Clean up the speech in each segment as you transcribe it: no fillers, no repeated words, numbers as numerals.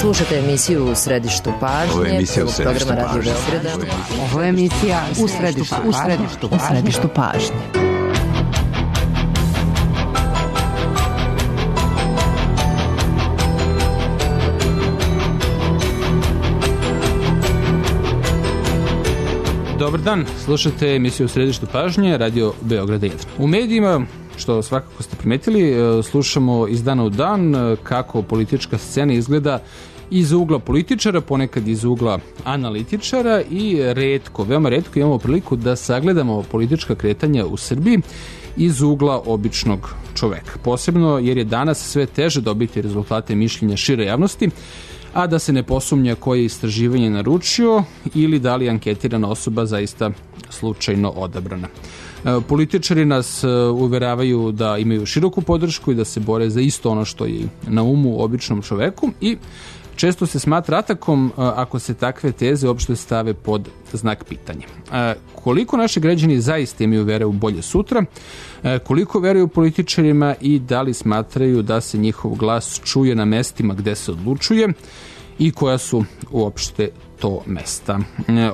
Slušate emisiju U središtu pažnje, programa Radio Beograda. Ovo je emisija U središtu pažnje. Dobar dan, slušate emisiju U središtu pažnje, Radio Beograda 1. U medijima, što svakako ste primetili, slušamo iz dana u dan kako politička scena izgleda iz ugla političara, ponekad iz ugla analitičara i retko, veoma retko imamo priliku da sagledamo politička kretanja u Srbiji iz ugla običnog čoveka. Posebno jer je danas sve teže dobiti rezultate mišljenja šire javnosti, a da se ne posumnja koje je istraživanje naručio ili da li je anketirana osoba zaista slučajno odabrana. Političari nas uveravaju da imaju široku podršku i da se bore za isto ono što je na umu običnom čoveku i često se smatra atakom ako se takve teze uopšte stave pod znak pitanja. Koliko naši građani zaista imaju vere u bolje sutra, koliko veruju političarima i da li smatraju da se njihov glas čuje na mestima gde se odlučuje i koja su uopšte to mesta.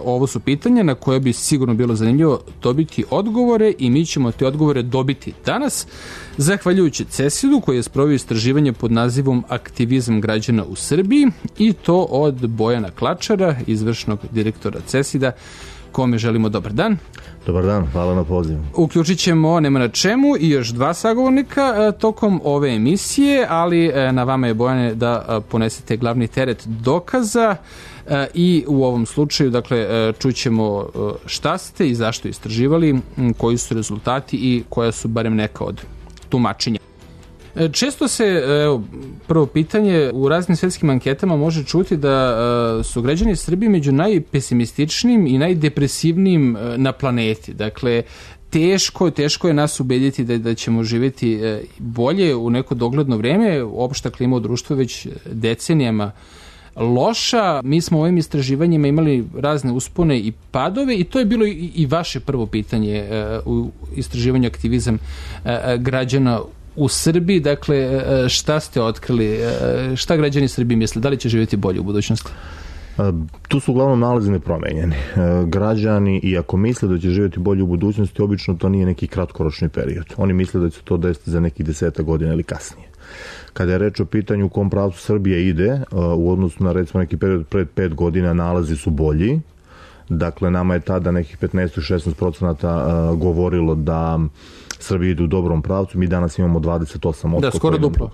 Ovo su pitanja na koje bi sigurno bilo zanimljivo dobiti odgovore i mi ćemo te odgovore dobiti danas zahvaljujući CESID-u koji je sproveo istraživanje pod nazivom Aktivizam građana u Srbiji i to od Bojana Klačara, izvršnog direktora CESID-a, kome želimo dobar dan. Dobar dan, hvala na pozivu. Uključit ćemo Nema na čemu i još dva sagovornika tokom ove emisije, ali na vama je, Bojane, da ponesete glavni teret dokaza i u ovom slučaju, dakle, čućemo šta ste i zašto istraživali, koji su rezultati i koja su barem neka od tumačenja. Često se, prvo pitanje, u raznim svetskim anketama može čuti da su građani Srbije među najpesimističnijim i najdepresivnijim na planeti. Dakle, teško je nas ubediti da ćemo živjeti bolje u neko dogledno vreme. Opšta klima u društvu već decenijama loša. Mi smo u ovim istraživanjima imali razne uspone i padove i to je bilo i vaše prvo pitanje u istraživanju aktivizam građana u Srbiji. Dakle, šta ste otkrili? Šta građani Srbije misle? Da li će živjeti bolje u budućnosti? Tu su uglavnom nalazi nepromenjeni. Građani, iako misle da će živjeti bolje u budućnosti, obično to nije neki kratkoročni period. Oni misle da će to desiti za nekih 10 godina ili kasnije. Kada je reč o pitanju u kom pravcu Srbije ide, u odnosu na recimo neki period pred 5 godina, nalazi su bolji. Dakle, nama je tada nekih 15-16% govorilo da Srbija ide u dobrom pravcu, mi danas imamo 28%. Da, skoro duplo.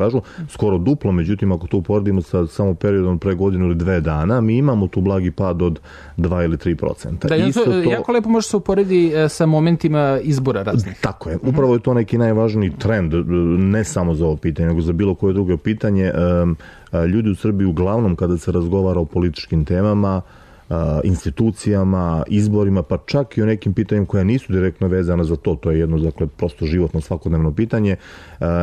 Skoro duplo, međutim, ako to uporedimo sa samo periodom pre godinu ili 2 dana, mi imamo tu blagi pad od 2 ili 3%. Da, to jako lepo može se uporedi sa momentima izbora raznih. Tako je. Upravo je to neki najvažniji trend, ne samo za ovo pitanje, nego za bilo koje drugo pitanje. Ljudi u Srbiji uglavnom kada se razgovara o političkim temama, institucijama, izborima, pa čak i o nekim pitanjima koja nisu direktno vezana za to, to je jedno, dakle, prosto životno svakodnevno pitanje.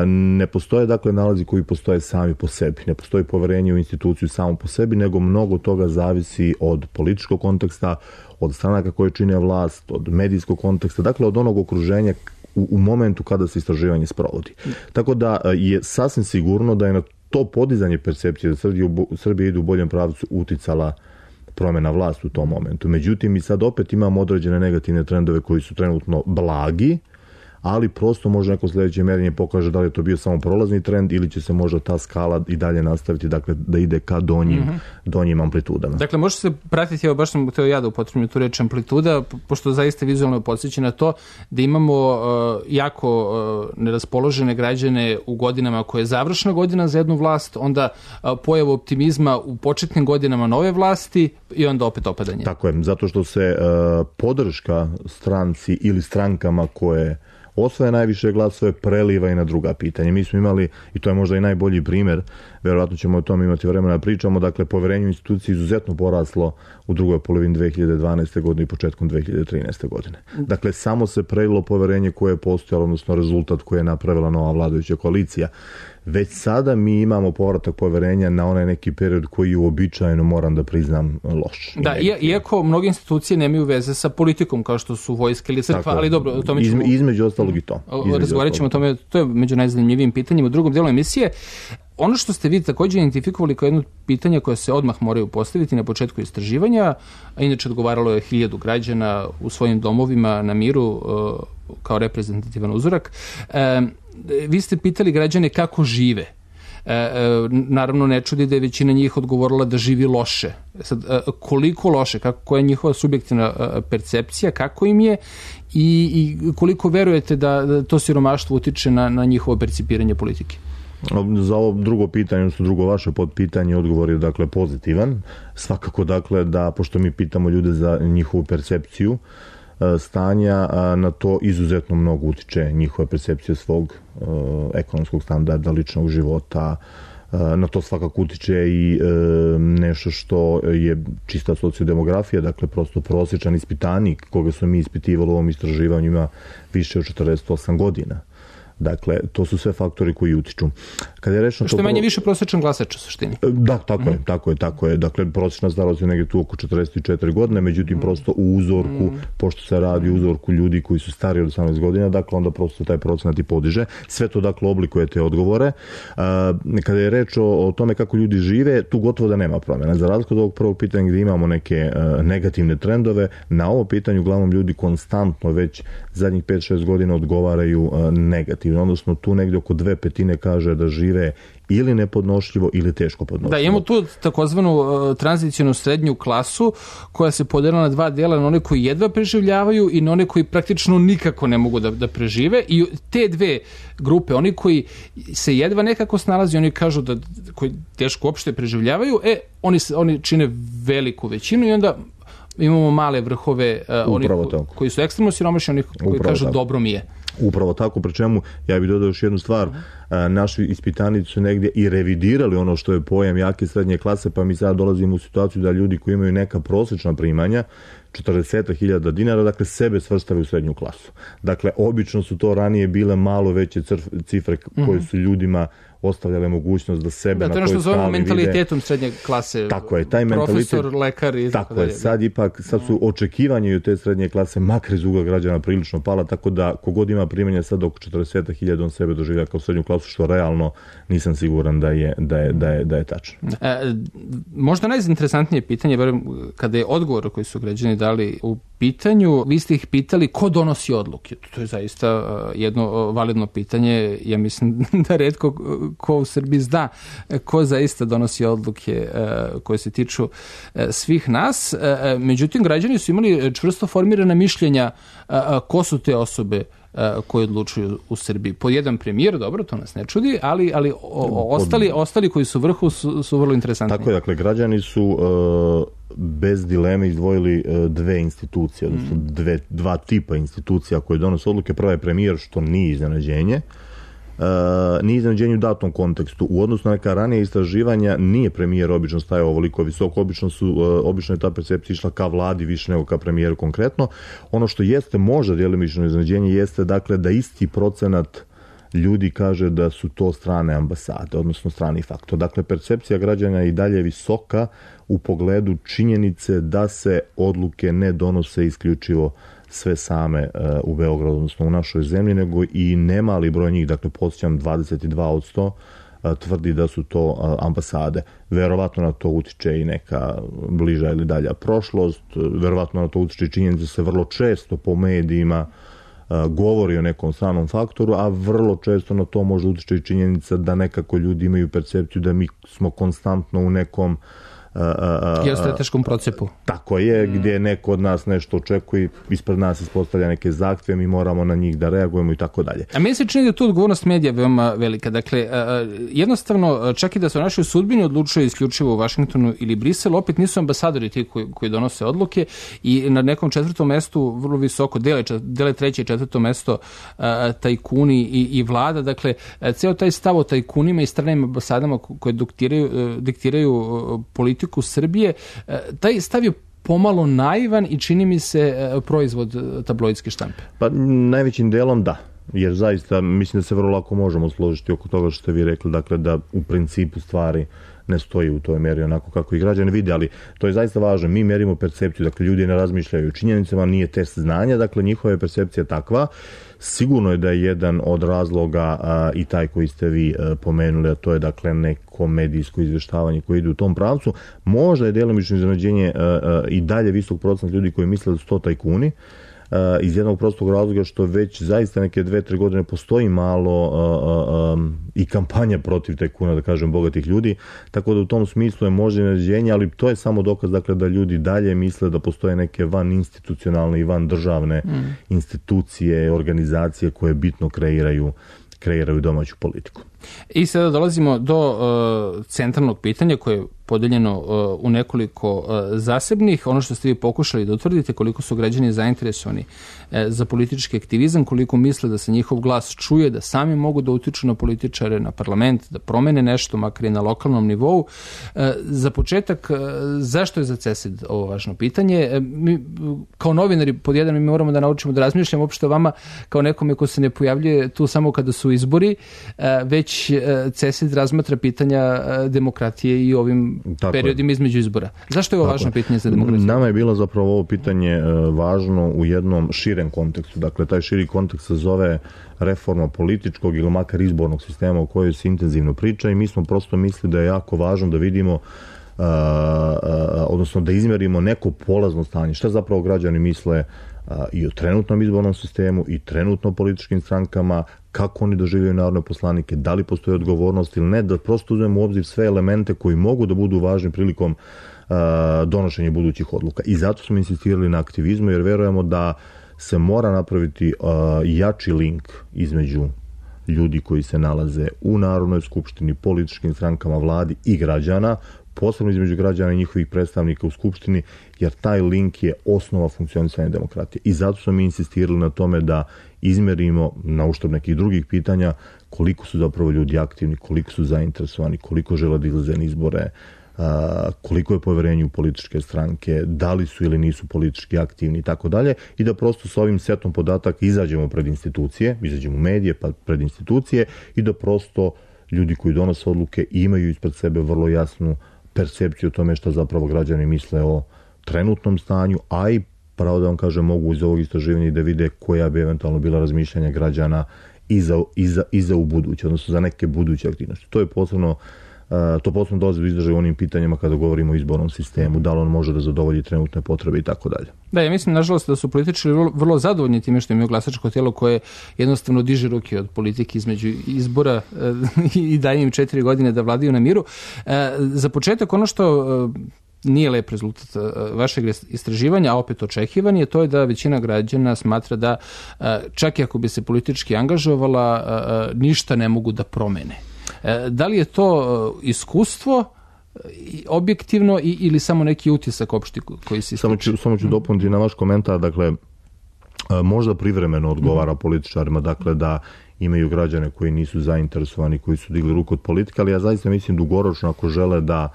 Ne postoje, dakle, nalazi koji postoje sami po sebi. Ne postoji poverenje u instituciju samo po sebi, nego mnogo toga zavisi od političkog konteksta, od stranaka koje čine vlast, od medijskog konteksta, dakle, od onog okruženja u momentu kada se istraživanje sprovodi. Tako da je sasvim sigurno da je na to podizanje percepcije da Srbija ide u boljem pravcu uticala promjena vlasti u tom momentu. Međutim, mi sad opet imamo određene negativne trendove koji su trenutno blagi, ali prosto možda neko sljedeće mjerenje pokaže da li je to bio samo prolazni trend ili će se možda ta skala i dalje nastaviti, dakle, da ide ka donjim amplitudama. Dakle, može se pratiti, evo baš sam htio ja da upotrebim tu reč amplituda, pošto zaista vizualno podsjeća na to da imamo jako neraspoložene građane u godinama koje je završna godina za jednu vlast, onda pojavu optimizma u početnim godinama nove vlasti i onda opet opadanje. Tako je, zato što se podrška stranci ili strankama koje osvaja najviše glasove preliva i na druga pitanja. Mi smo imali, i to je možda i najbolji primjer, verovatno ćemo o tome imati vremena da pričamo, dakle, poverenje u instituciji izuzetno poraslo u drugoj polovini 2012. godine i početkom 2013. godine. Dakle, samo se prelilo poverenje koje je postojalo, odnosno rezultat koje je napravila nova vladajuća koalicija. Već sada mi imamo povratak poverenja na onaj neki period koji je uobičajeno, moram da priznam, loš. Da, iako mnoge institucije nemaju veze sa politikom, kao što su vojska ili crkva, ali dobro, o tome ćemo... Između ostalog i to. Razgovarat ćemo o tome, to je među najzanimljivijim pitanjima u drugom delu emisije. ono što ste vi također identifikovali kao jedno pitanje koje se odmah moraju postaviti na početku istraživanja, a inače odgovaralo je 1000 građana u svojim domovima na miru kao reprezentativan uzorak. Vi ste pitali građane kako žive. Naravno ne čudi da je većina njih odgovorila da živi loše. Sad, koliko loše, koja je njihova subjektivna percepcija, kako im je i koliko verujete da to siromaštvo utiče na njihovo percipiranje politike? Za ovo drugo pitanje, odnosno drugo vaše podpitanje, odgovor je dakle pozitivan. Svakako dakle da, pošto mi pitamo ljude za njihovu percepciju stanja, na to izuzetno mnogo utiče njihova percepcija svog ekonomskog standarda, ličnog života. Na to svakako utiče i nešto što je čista sociodemografija, dakle prosto prosječan ispitanik koga smo mi ispitivali u ovom istraživanju ima više od 48 godina. Dakle, to su sve faktori koji utiču. Kada je rečeno što je manje više prosječan glasač u suštini. Da, tako je. Dakle, prosječna starost je negdje tu oko 44 godine, međutim, prosto u uzorku, pošto se radi u uzorku ljudi koji su stariji od 18 godina, dakle, onda prosto taj procenat i podiže. Sve to, dakle, oblikuje te odgovore. Kada je reč o tome kako ljudi žive, tu gotovo da nema promjena. Za razliku od ovog prvog pitanja gdje imamo neke negativne trendove, na ovo pitanje uglavnom ljudi konstantno već zadnjih 5-6 godina odgovaraju negativno. Odnosno tu negdje oko 2/5 kaže da žive ili nepodnošljivo ili teško podnošljivo. Da, imamo tu takozvanu tranzicijnu srednju klasu koja se podelila na dva dijela, na one koji jedva preživljavaju i na one koji praktično nikako ne mogu da prežive, i te dve grupe, oni koji se jedva nekako snalazi, oni kažu da koji teško uopšte preživljavaju, oni čine veliku većinu i onda imamo male vrhove, oni koji su ekstremno siromašni, oni koji kažu dobro mi je. Upravo tako, pri čemu ja bih dodao još jednu stvar, naši ispitanici su negdje i revidirali ono što je pojam jake srednje klase, pa mi sad dolazimo u situaciju da ljudi koji imaju neka prosječna primanja, 40.000 dinara, dakle sebe svrstavaju u srednju klasu. Dakle, obično su to ranije bile malo veće cifre koje su ljudima ostavljale mogućnost da sebe na toj skali vide. To je ono što zovemo mentalitetom srednje klase. Tako je, taj profesor, lekar i tako dalje. Sad su očekivanje od te srednje klase makar iz ugla građana prilično pala, tako da kogod ima primanja sad oko 40.000 on sebe doživlja kao srednju klasu, što realno nisam siguran da je tačno. Možda najinteresantnije pitanje, verujem, kada je odgovor koji su građani dali u pitanju, vi ste ih pitali ko donosi odluke. To je zaista jedno validno pitanje. Ja mislim da retko ko u Srbiji zna ko zaista donosi odluke koje se tiču svih nas. Međutim, građani su imali čvrsto formirana mišljenja ko su te osobe koji odlučuju u Srbiji. Po jedan premijer, dobro, to nas ne čudi, ali ostali koji su vrhu su vrlo interesantni. Tako je, dakle, građani su bez dileme izdvojili dve institucije, odnosno dva tipa institucija koje donose odluke. Prva je premijer, što nije iznenađenje. Nije iznenađenje u datom kontekstu. U odnosu na neka ranije istraživanja nije premijer obično stajao ovoliko visoko, obično je ta percepcija išla ka vladi više nego ka premijeru konkretno. Ono što jeste možda djelimično iznenađenje jeste dakle da isti procenat ljudi kaže da su to strane ambasade, odnosno strani faktor. Dakle, percepcija građana je i dalje visoka u pogledu činjenice da se odluke ne donose isključivo sve same u Beogradu, odnosno u našoj zemlji, nego i nemali broj njih, dakle podsjećam 22% tvrdi da su to ambasade. Verovatno na to utiče i neka bliža ili dalja prošlost, verovatno na to utiče i činjenica da se vrlo često po medijima govori o nekom stranom faktoru, a vrlo često na to može utiče i činjenica da nekako ljudi imaju percepciju da mi smo konstantno u nekom geostrateškom procepu. Tako je, gdje neko od nas nešto očekuje, ispred nas ispostavlja neke zahtjeve, mi moramo na njih da reagujemo i tako dalje. A meni se čini da je tu odgovornost medija veoma velika. Dakle, jednostavno, čak i da se o našoj sudbini odlučuje isključivo u Vašingtonu ili Briselu, opet nisu ambasadori ti koji donose odluke i na nekom 4. mestu vrlo visoko dele 3. i 4. mesto tajkuni i vlada. Dakle, ceo taj stav o tajkunima i stranim ambasadama koje diktiraju politiku Srbije, taj stav je pomalo naivan i čini mi se proizvod tabloidske štampe. Pa najvećim delom da. jer zaista mislim da se vrlo lako možemo složiti oko toga što ste vi rekli, dakle da u principu stvari ne stoji u toj meri onako kako i građani vide, ali to je zaista važno. Mi merimo percepciju, dakle ljudi ne razmišljaju činjenicama, nije test znanja, dakle njihova je percepcija takva. Sigurno je da je jedan od razloga i taj koji ste vi pomenuli, a to je dakle neko medijsko izvještavanje koje ide u tom pravcu. Možda je djelomično iznenađenje i dalje visok procenat ljudi koji misle da su to tajkuni, iz jednog prostog razloga što već zaista neke 2-3 godine postoji malo i kampanja protiv tajkuna, da kažem, bogatih ljudi, tako da u tom smislu je možda iznenađenje, ali to je samo dokaz dakle, da ljudi dalje misle da postoje neke van institucionalne i van državne institucije, organizacije koje bitno kreiraju domaću politiku. I sada dolazimo do centralnog pitanja koje je podeljeno u nekoliko zasebnih. Ono što ste vi pokušali da utvrdite, koliko su građani zainteresovani za politički aktivizam, koliko misle da se njihov glas čuje, da sami mogu da utiču na političare, na parlament, da promene nešto, makar i na lokalnom nivou. Za početak, zašto je za CESID ovo važno pitanje? Mi, kao novinari, pod jedan, mi moramo da naučimo da razmišljamo uopšte o vama kao nekome ko se ne pojavljuje tu samo kada su izbori, već CESID razmatra pitanja demokratije i ovim periodima između izbora. Zašto je ovo važno pitanje za demokratiju? Nama je bilo zapravo ovo pitanje važno u jednom širem kontekstu. Dakle, taj širi kontekst se zove reforma političkog ili makar izbornog sistema o kojoj se intenzivno priča i mi smo prosto mislili da je jako važno da vidimo odnosno da izmjerimo neko polazno stanje. Šta zapravo građani misle i o trenutnom izbornom sistemu i trenutno političkim strankama, kako oni doživljaju narodne poslanike, da li postoji odgovornost ili ne, da prosto uzmemo u obzir sve elemente koji mogu da budu važni prilikom donošenja budućih odluka. I zato smo insistirali na aktivizmu, jer verujemo da se mora napraviti jači link između ljudi koji se nalaze u Narodnoj skupštini, političkim strankama, vladi i građana, posebno između građana i njihovih predstavnika u Skupštini, jer taj link je osnova funkcionisanja demokratije. I zato smo mi insistirali na tome da izmerimo, na uštrb nekih drugih pitanja, koliko su zapravo ljudi aktivni, koliko su zainteresovani, koliko žele da izlaze na izbore, koliko je poverenje u političke stranke, da li su ili nisu politički aktivni i tako dalje, i da prosto s ovim setom podataka izađemo pred institucije, izađemo u medije pa pred institucije i da prosto ljudi koji donose odluke imaju ispred sebe vrlo jasnu percepciju o tome što zapravo građani misle o trenutnom stanju, a i pravo da vam kažem mogu iz ovog istraživanja da vide koja bi eventualno bila razmišljanja građana i za u buduće, odnosno za neke buduće aktivnosti. To posebno dolazi do izražaja u onim pitanjima kada govorimo o izbornom sistemu, da li on može da zadovolji trenutne potrebe i tako dalje. Da, ja mislim, nažalost, da su političari vrlo zadovoljni time što imaju glasačko tijelo koje jednostavno diže ruke od politike između izbora i daje im 4 godine da vladaju na miru. Za početak, ono što nije lep rezultat vašeg istraživanja, a opet očekivan je, to je da većina građana smatra da čak i ako bi se politički angažovala, ništa ne mogu da promene. Da li je to iskustvo objektivno ili samo neki utisak opšti koji se ističe? Samo ću dopuniti na vaš komentar, dakle, možda privremeno odgovara političarima, dakle, da imaju građane koji nisu zainteresovani, koji su digli ruku od politike, ali ja zaista mislim dugoročno ako žele da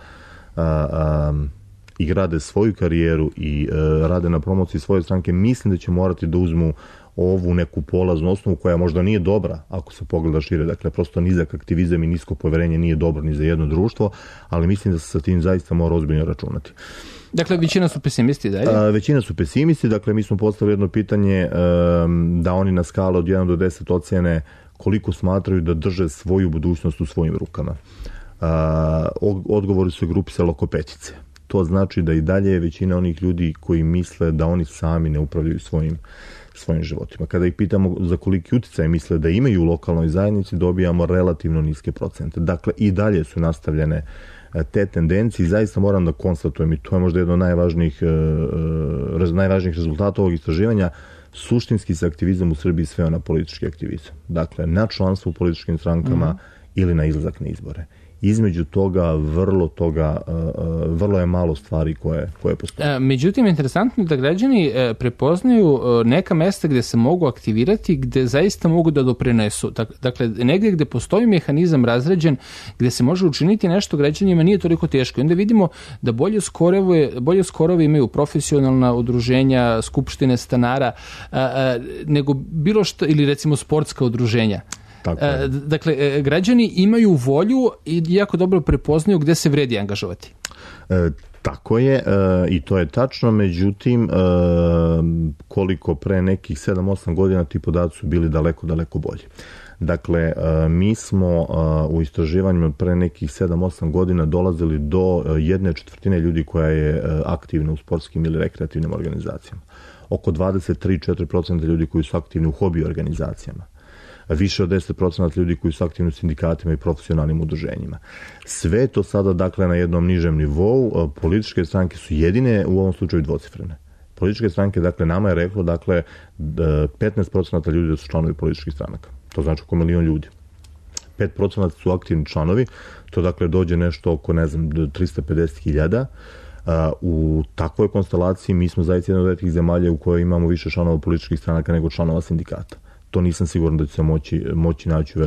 i grade svoju karijeru i rade na promociji svoje stranke, mislim da će morati da uzmu ovu neku polaznu osnovu koja možda nije dobra ako se pogleda šire. Dakle, prosto nizak aktivizam i nisko poverenje nije dobro ni za jedno društvo, ali mislim da se sa tim zaista mora ozbiljno računati. Dakle, većina su pesimisti, dalje? Većina su pesimisti, dakle, mi smo postavili jedno pitanje da oni na skala od 1 do 10 ocjene koliko smatraju da drže svoju budućnost u svojim rukama. Odgovori su grupisali oko petice. To znači da i dalje je većina onih ljudi koji misle da oni sami ne upravljaju svojim životima. Kada ih pitamo za koliki uticaj misle da imaju u lokalnoj zajednici, dobijamo relativno niske procente. Dakle, i dalje su nastavljene te tendencije i zaista moram da konstatujem, i to je možda jedno od najvažnijih rezultata ovog istraživanja, suštinski se aktivizam u Srbiji sveo na politički aktivizam. Dakle, na članstvo u političkim strankama ili na izlazak na izbore. između toga vrlo je malo stvari koje postoje. Međutim, interesantno je da građani prepoznaju neka mesta gde se mogu aktivirati, gde zaista mogu da doprinesu. Dakle, negdje gde postoji mehanizam razređen, gde se može učiniti nešto građanima nije toliko teško. I onda vidimo da bolje skorove imaju profesionalna udruženja, skupštine stanara, nego bilo što, ili recimo sportska udruženja. Dakle, građani imaju volju i jako dobro prepoznaju gde se vredi angažovati. Tako je, i to je tačno, međutim, koliko pre nekih 7-8 godina ti podaci su bili daleko bolji. Dakle, mi smo u istraživanjima pre nekih 7-8 godina dolazili do 1/4 ljudi koja je aktivna u sportskim ili rekreativnim organizacijama. Oko 23-4% ljudi koji su aktivni u hobi organizacijama. Više od 10% ljudi koji su aktivni u sindikatima i profesionalnim udruženjima. Sve to sada, dakle, na jednom nižem nivou. Političke stranke su jedine u ovom slučaju dvocifrene. Političke stranke, dakle, nama je reklo, dakle, 15% ljudi da su članovi političkih stranaka. To znači oko 1 milion ljudi. 5% su aktivni članovi, to dakle dođe nešto oko, 350.000. U takvoj konstelaciji mi smo zaista jedna od retkih zemalja u kojoj imamo više članova političkih stranaka nego članova sindikata. To nisam siguran da će se moći naći u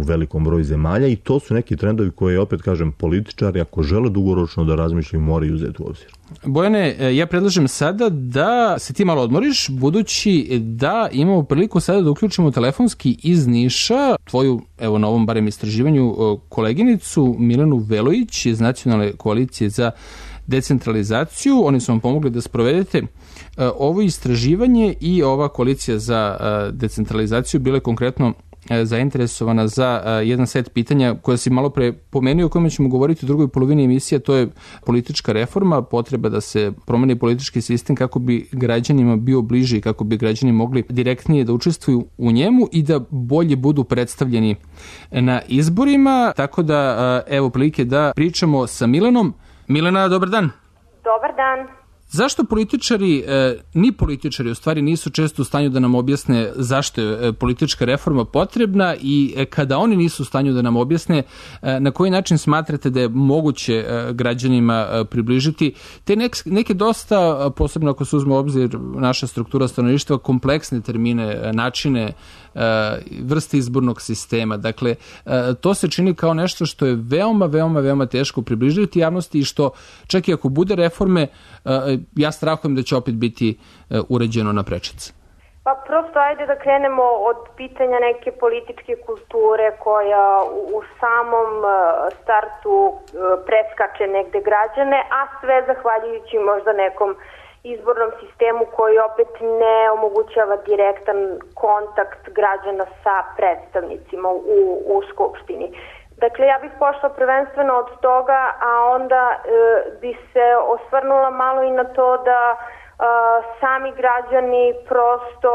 velikom broju zemalja i to su neki trendovi koje, opet kažem, političari ako žele dugoročno da razmišljaju moraju uzeti u obzir. Bojane, ja predlažem sada da se ti malo odmoriš, budući da imamo priliku sada da uključimo telefonski iz Niša tvoju, evo na ovom barem istraživanju, koleginicu Milenu Velojić iz Nacionalne koalicije za decentralizaciju. Oni su vam pomogli da sprovedete ovo istraživanje i ova koalicija za decentralizaciju bila je konkretno zainteresovana za jedan set pitanja koje si malo pre pomenuo, o kojima ćemo govoriti u drugoj polovini emisije, to je politička reforma, potreba da se promeni politički sistem kako bi građanima bio bliži, kako bi građani mogli direktnije da učestvuju u njemu i da bolje budu predstavljeni na izborima. Tako da, evo prilike da pričamo sa Milenom. Milena, dobar dan. Dobar dan. Zašto ni političari u stvari nisu često u stanju da nam objasne zašto je politička reforma potrebna i kada oni nisu u stanju da nam objasne na koji način smatrate da je moguće građanima približiti te neke dosta, posebno ako se uzme u obzir naša struktura stanovništva, kompleksne termine, načine, vrste izbornog sistema. Dakle, to se čini kao nešto što je veoma teško približiti javnosti i što čak i ako bude reforme, ja strahujem da će opet biti uređeno na prečac. Pa prosto ajde da krenemo od pitanja neke političke kulture koja u samom startu preskače negde građane, a sve zahvaljujući možda nekom izbornom sistemu koji opet ne omogućava direktan kontakt građana sa predstavnicima u Skupštini. Dakle, ja bih pošla prvenstveno od toga, a onda bi se osvrnula malo i na to da sami građani prosto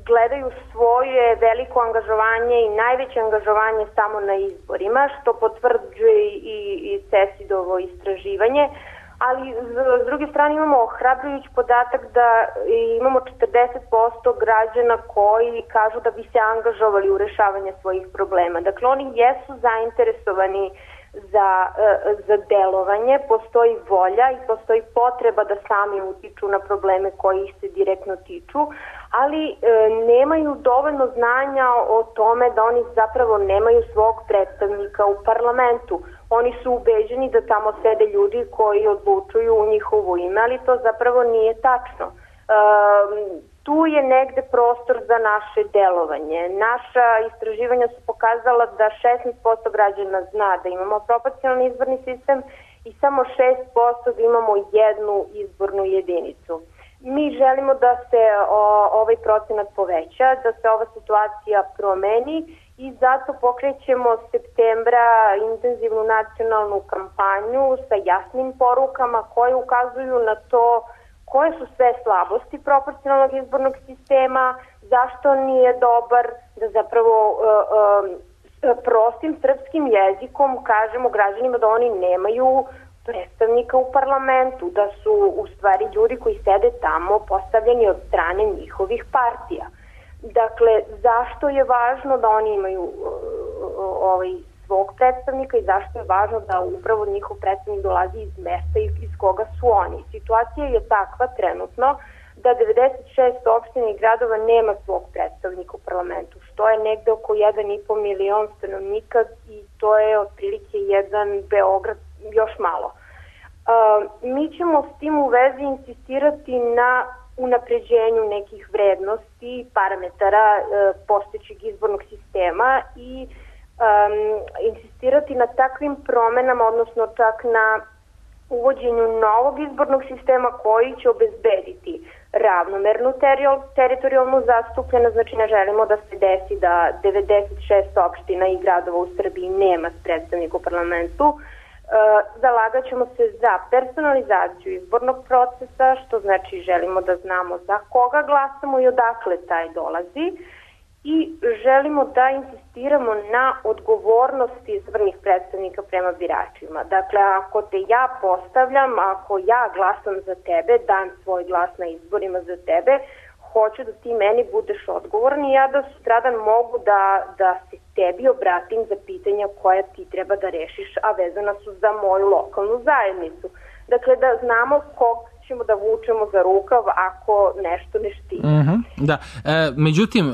gledaju svoje veliko angažovanje i najveće angažovanje samo na izborima, što potvrđuje i CESID-ovo istraživanje. Ali s druge strane imamo ohrabrujući podatak da imamo 40% građana koji kažu da bi se angažovali u rešavanje svojih problema. Dakle, oni jesu zainteresovani za delovanje, postoji volja i postoji potreba da sami utiču na probleme koji ih se direktno tiču, ali nemaju dovoljno znanja o tome da oni zapravo nemaju svog predstavnika u parlamentu. Oni su ubeđeni da tamo sede ljudi koji odlučuju u njihovo ime, ali to zapravo nije tačno. Tu je negde prostor za naše delovanje. Naša istraživanja su pokazala da 16% građana zna da imamo proporcionalni izborni sistem i samo 6% da imamo jednu izbornu jedinicu. Mi želimo da se ovaj procenat poveća, da se ova situacija promeni i zato pokrećemo septembra intenzivnu nacionalnu kampanju sa jasnim porukama koje ukazuju na to koje su sve slabosti proporcionalnog izbornog sistema, zašto nije dobar, da zapravo prostim srpskim jezikom kažemo građanima da oni nemaju predstavnika u parlamentu, da su u stvari ljudi koji sede tamo postavljeni od strane njihovih partija. Dakle, zašto je važno da oni imaju svog predstavnika i zašto je važno da upravo njihov predstavnik dolazi iz mesta iz koga su oni. Situacija je takva trenutno da 96 opština i gradova nema svog predstavnika u parlamentu, što je negde oko 1,5 milion stanovnika i to je otprilike jedan Beograd još malo. Mi ćemo s tim u vezi insistirati na unapređenju nekih vrednosti i parametara postojećeg izbornog sistema i insistirati na takvim promenama, odnosno čak na uvođenju novog izbornog sistema koji će obezbediti ravnomernu teritorijalnu zastupljenost. Znači ne želimo da se desi da 96 opština i gradova u Srbiji nema predstavnika u parlamentu. Zalagat ćemo se za personalizaciju izbornog procesa, što znači želimo da znamo za koga glasamo i odakle taj dolazi. I želimo da insistiramo na odgovornosti izabranih predstavnika prema biračima. Dakle, ako te ja postavljam, ako ja glasam za tebe, dam svoj glas na izborima za tebe, hoću da ti meni budeš odgovoran i ja da sutradan mogu da se tebi obratim za pitanja koja ti treba da rešiš, a vezana su za moju lokalnu zajednicu. Dakle, da znamo kog ćemo da vučemo za rukav ako nešto ne štima. Da. Međutim,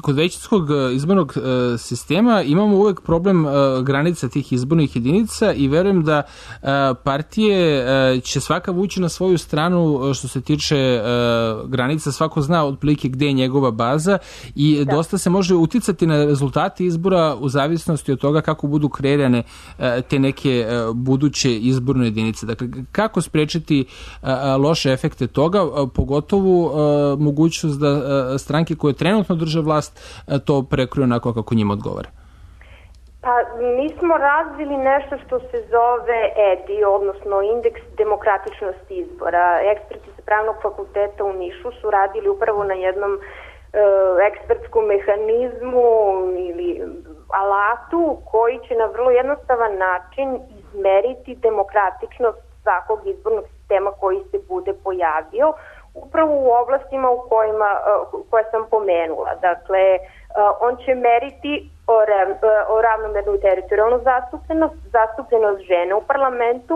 kod većinskog izbornog sistema imamo uvek problem granica tih izbornih jedinica i verujem da partije će svaka vući na svoju stranu što se tiče granica, svako zna otprilike gde je njegova baza i dosta se može uticati na rezultate izbora u zavisnosti od toga kako budu kreirane te neke buduće izborne jedinice. Dakle, kako sprečiti loše efekte toga, pogotovo mogućnost da stranke koje trenutno drže vlast to prekriju onako kako njima odgovara? Pa mi smo razvili nešto što se zove EDI, odnosno indeks demokratičnosti izbora. Eksperti sa Pravnog fakulteta u Nišu su radili upravo na jednom ekspertskom mehanizmu ili alatu koji će na vrlo jednostavan način izmeriti demokratičnost svakog izbornog sistema koji se bude pojavio upravo u oblastima koje sam pomenula. Dakle, on će meriti o ravnomernu teritorijalnu zastupljenost žene u parlamentu,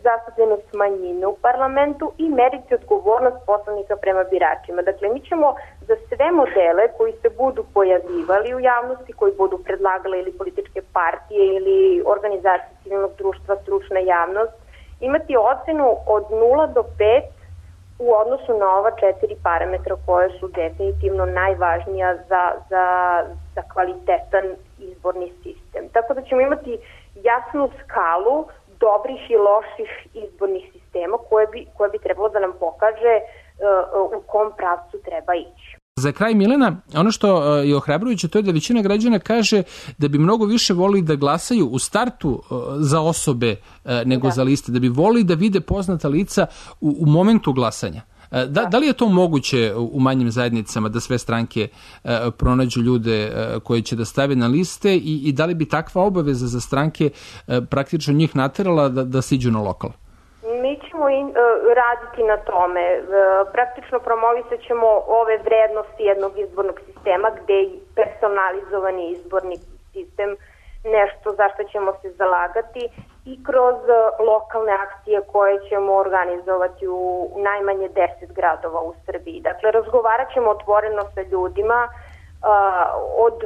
zastupljenost manjine u parlamentu i meriti odgovornost poslanika prema biračima. Dakle, mi ćemo za sve modele koji se budu pojavljivali u javnosti, koji budu predlagale ili političke partije ili organizacije civilnog društva, stručna javnost, imati ocenu od 0 do 5 u odnosu na ova 4 parametra koje su definitivno najvažnija za kvalitetan izborni sistem. Tako da ćemo imati jasnu skalu dobrih i loših izbornih sistema koje bi trebalo da nam pokaže u kom pravcu treba ići. Za kraj, Milena, ono što je ohrabrujuće to je da većina građana kaže da bi mnogo više volili da glasaju u startu za osobe nego za liste, da bi volili da vide poznata lica u momentu glasanja. Da li je to moguće u manjim zajednicama da sve stranke pronađu ljude koje će da stave na liste i da li bi takva obaveza za stranke praktično njih naterala da siđu na lokal? Mi ćemo raditi na tome. Praktično promovisat ćemo ove vrednosti jednog izbornog sistema gde je personalizovani izborni sistem nešto za što ćemo se zalagati i kroz lokalne akcije koje ćemo organizovati u najmanje 10 gradova u Srbiji. Dakle, razgovarat ćemo otvoreno sa ljudima od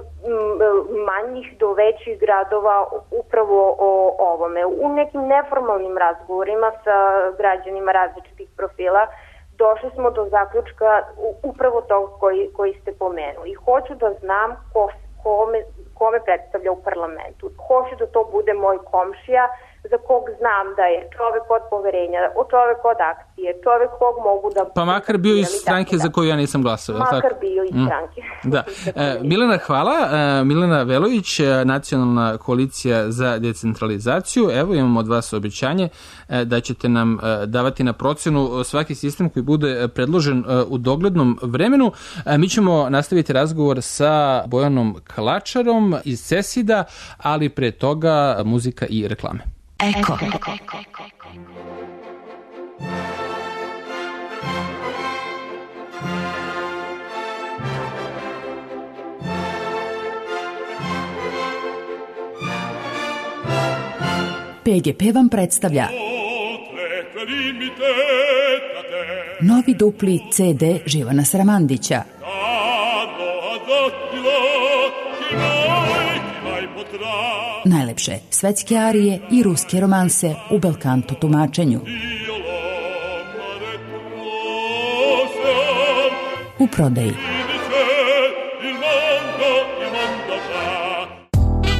manjih do većih gradova upravo o ovome. U nekim neformalnim razgovorima sa građanima različitih profila došli smo do zaključka upravo tog koji ste pomenuli. Hoću da znam kome predstavlja u parlamentu. Hoću da to bude moj komšija za kog znam da je čovek od poverenja, čovek od akcije, čovek kog mogu da... Pa makar bio iz stranke za koju ja nisam glasao. Makar bio iz stranke. Da. Milena, hvala. Milena Velović, Nacionalna koalicija za decentralizaciju. Evo imamo od vas obećanje da ćete nam davati na procenu svaki sistem koji bude predložen u doglednom vremenu. Mi ćemo nastaviti razgovor sa Bojanom Klačarom iz CESID-a, ali pre toga muzika i reklame. Eko. PGP vam predstavlja novi dupli CD Živana Sramandića. Najlepše svetske arije i ruske romanse u belkanto tumačenju. U prodaji.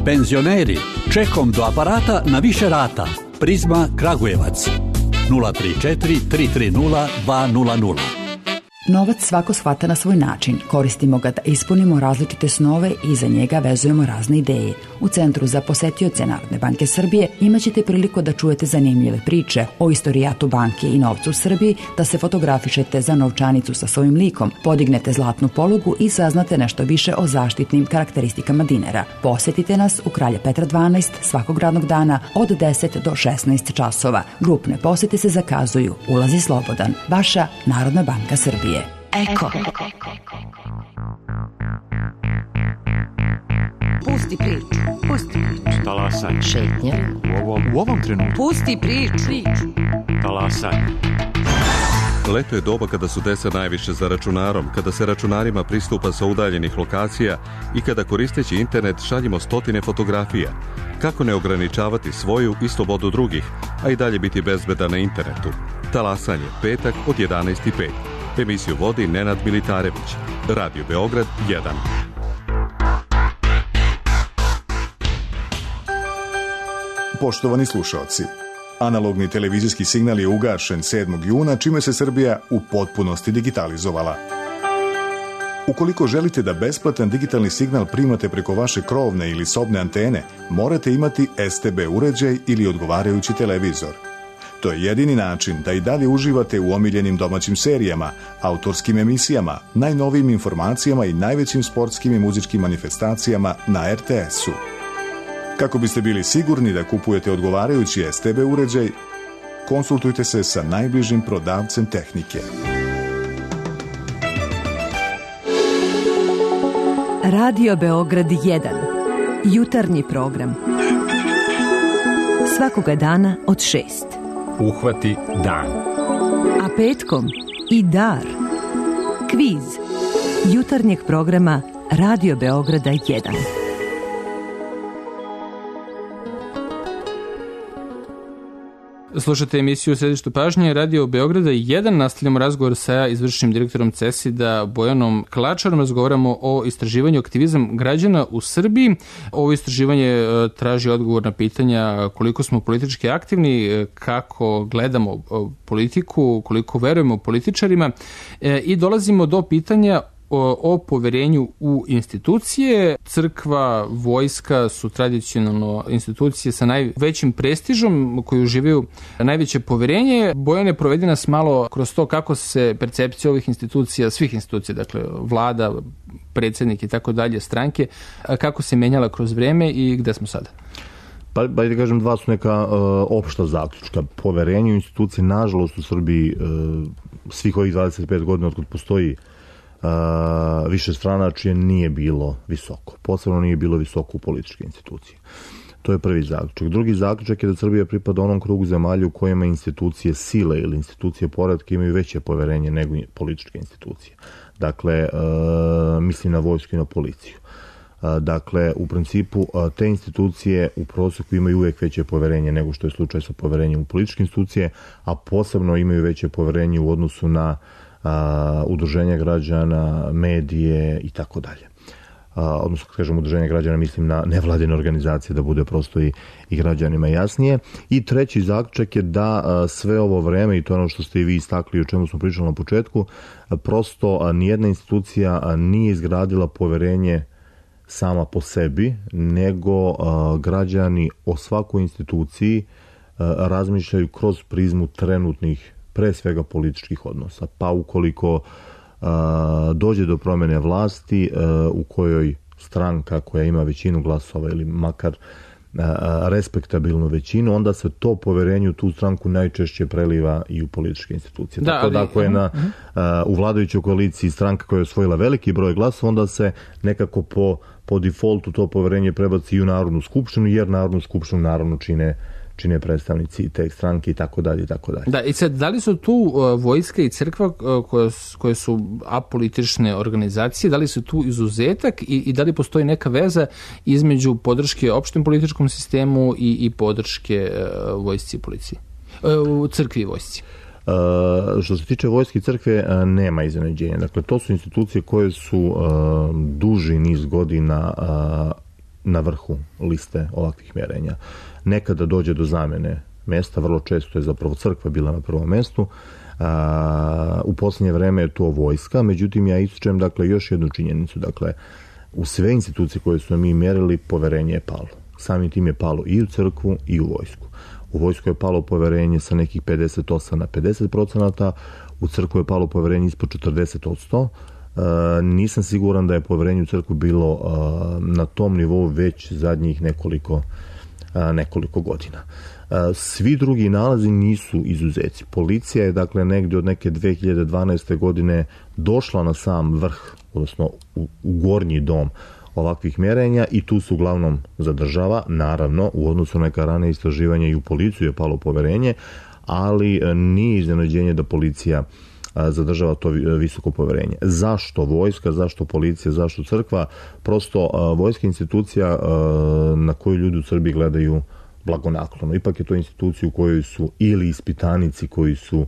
Penzioneri, čekom do aparata na više rata. Prizma Kragujevac 034 330 200. Novac svako shvata na svoj način. Koristimo ga da ispunimo različite snove i za njega vezujemo razne ideje. U Centru za posetioce Narodne banke Srbije imaćete priliku da čujete zanimljive priče o istorijatu banke i novcu u Srbiji, da se fotografišete za novčanicu sa svojim likom, podignete zlatnu polugu i saznate nešto više o zaštitnim karakteristikama dinara. Posetite nas u Kralja Petra 12 svakog radnog dana od 10 do 16 časova. Grupne posete se zakazuju. Ulaz je slobodan. Vaša Narodna banka Srbije. Eko. Pusti priču. Pusti priču. Talasanje. Šetnje. U ovom trenutku. Pusti priču. Talasanje. Leto je doba kada su deca najviše za računarom, kada se računarima pristupa sa udaljenih lokacija i kada koristeći internet šaljemo stotine fotografija. Kako ne ograničavati svoju i slobodu drugih, a i dalje biti bezbedan na internetu? Talasanje, petak od 11:05. Emisiju vodi Nenad Militarević. Radio Beograd 1. Poštovani slušaoci, analogni televizijski signal je ugašen 7. juna, čime se Srbija u potpunosti digitalizovala. Ukoliko želite da besplatan digitalni signal primate preko vaše krovne ili sobne antene, morate imati STB uređaj ili odgovarajući televizor. To je jedini način da i dalje uživate u omiljenim domaćim serijama, autorskim emisijama, najnovijim informacijama i najvećim sportskim i muzičkim manifestacijama na RTS-u. Kako biste bili sigurni da kupujete odgovarajući STB uređaj, konsultujte se sa najbližim prodavcem tehnike. Radio Beograd 1. Jutarnji program. Svakoga dana od 6. Uhvati dan. A petkom i dar. Kviz jutarnjeg programa Radio Beograda 1. Slušate emisiju u središtu pažnje Radio Beograda 1. Nastavljamo razgovor sa izvršnim direktorom CESID-a Bojanom Klačarom. Razgovaramo o istraživanju aktivizam građana u Srbiji. Ovo istraživanje traži odgovor na pitanja koliko smo politički aktivni, kako gledamo politiku, koliko verujemo političarima i dolazimo do pitanja o poverenju u institucije. Crkva, vojska su tradicionalno institucije sa najvećim prestižom koji uživaju najveće poverenje. Bojane, provedi nas malo kroz to kako se percepcija ovih institucija, svih institucija, dakle vlada, predsjednik i tako dalje, stranke, kako se menjala kroz vreme i gde smo sada? Pa da kažem, dva su neka opšta zaključka. Poverenje u institucije, nažalost, u Srbiji svih ovih 25 godina od postoji više stranačije nije bilo visoko. Posebno nije bilo visoko u političke institucije. To je prvi zaključak. Drugi zaključak je da Srbija pripada onom krugu zemalja u kojima institucije sile ili institucije poretka imaju veće poverenje nego političke institucije. Dakle, mislim na vojsku i na policiju. Dakle, u principu te institucije u prosjeku imaju uvijek veće poverenje nego što je slučaj sa poverenjem u političke institucije, a posebno imaju veće poverenje u odnosu na udruženja građana, medije i tako dalje. Odnosno, kad kažem udruženja građana, mislim na nevladine organizacije, da bude prosto i građanima jasnije. I treći zaključak je da sve ovo vreme, i to je ono što ste i vi istakli, o čemu smo pričali na početku, prosto nijedna institucija nije izgradila poverenje sama po sebi, nego građani o svakoj instituciji razmišljaju kroz prizmu trenutnih, pre svega političkih odnosa. Pa ukoliko dođe do promjene vlasti u kojoj stranka koja ima većinu glasova ili makar respektabilnu većinu, onda se to poverenje u tu stranku najčešće preliva i u političke institucije. Tako da ako je u vladajućoj koaliciji stranka koja je osvojila veliki broj glasova, onda se nekako po defaultu to poverenje prebaci i u Narodnu skupštinu, jer Narodnu skupštinu naravno čine predstavnici te stranke i tako dalje i tako dalje. Da, i sad, da li su tu vojska i crkva koje su apolitične organizacije, da li su tu izuzetak i da li postoji neka veza između podrške opštem političkom sistemu i podrške vojsci i policiji? U crkvi i vojsci. Što se tiče vojske i crkve, nema iznenađenja. Dakle, to su institucije koje su duži niz godina na vrhu liste ovakvih mjerenja. Nekada dođe do zamjene mjesta, vrlo često je zapravo crkva bila na prvom mjestu. U posljednje vreme je to vojska, međutim ja ističem dakle još jednu činjenicu. Dakle, u sve institucije koje su mi mjerili, poverenje je palo. Samim tim je palo i u crkvu i u vojsku. U vojsku je palo poverenje sa nekih 58 na 50%, u crkvu je palo poverenje ispod 40%. Nisam siguran da je poverenje u crkvu bilo na tom nivou već zadnjih nekoliko godina. Svi drugi nalazi nisu izuzeci. Policija je dakle negdje od neke 2012. godine došla na sam vrh, odnosno u gornji dom ovakvih mjerenja i tu se uglavnom zadržava. Naravno, u odnosu na neka rane istraživanja i u policiju je palo poverenje, ali nije iznenađenje da policija zadržava to visoko poverenje. Zašto vojska, zašto policija, zašto crkva? Prosto vojska je institucija na koju ljudi u Srbiji gledaju blagonaklono. Ipak je to institucija u kojoj su ili ispitanici koji su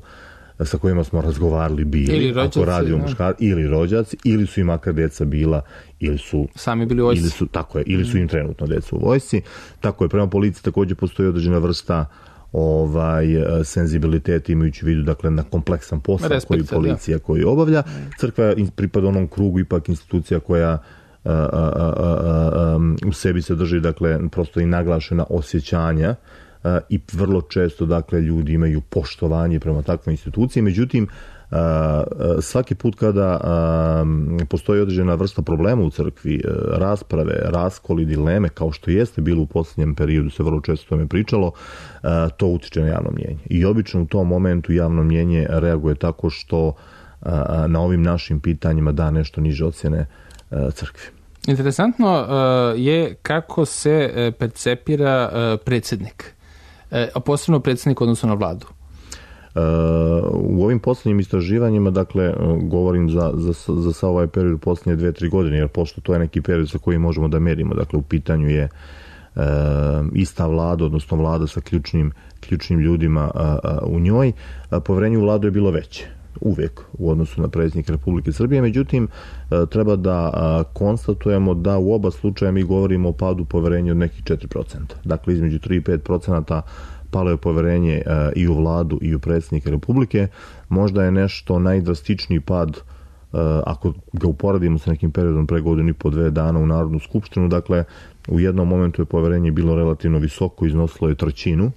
sa kojima smo razgovarali bili, ili rođaci, ako radi o muškarci, ili rođaci, ili su im makar deca bila, ili su sami bili u vojsci. Ili su im trenutno deca u vojsci. Tako je, prema policiji također postoji određena vrsta senzibilitet imajući u vidu dakle na kompleksan posao koji policija koji obavlja. Crkva pripada onom krugu ipak institucija koja u sebi sadrži dakle prosto i naglašena osjećanja i vrlo često dakle ljudi imaju poštovanje prema takvoj instituciji. Međutim, svaki put kada postoji određena vrsta problema u crkvi, rasprave, raskoli, dileme, kao što jeste bilo u posljednjem periodu, se vrlo često tome pričalo, to utiče na javno mnijenje. I obično u tom momentu javno mnijenje reaguje tako što na ovim našim pitanjima da nešto niže ocjene crkvi. Interesantno je kako se percepira predsjednik, a posebno predsjednik odnosno na vladu. U ovim posljednjim istraživanjima, dakle, govorim za sav ovaj period posljednje 2-3 godine, jer pošto to je neki period sa kojim možemo da merimo, dakle, u pitanju je ista vlada, odnosno vlada sa ključnim ljudima u njoj, poverenje u vladu je bilo veće uvijek u odnosu na predsjednika Republike Srbije, međutim treba da konstatujemo da u oba slučaja mi govorimo o padu poverenja od nekih 4%. Dakle, između 3 i 5% palo je poverenje i u vladu i u predsjednika Republike. Možda je nešto najdrastičniji pad ako ga uporedimo sa nekim periodom pre godinu i po 2 dana u Narodnu skupštinu. Dakle, u jednom momentu je poverenje bilo relativno visoko, iznosilo je 1/3.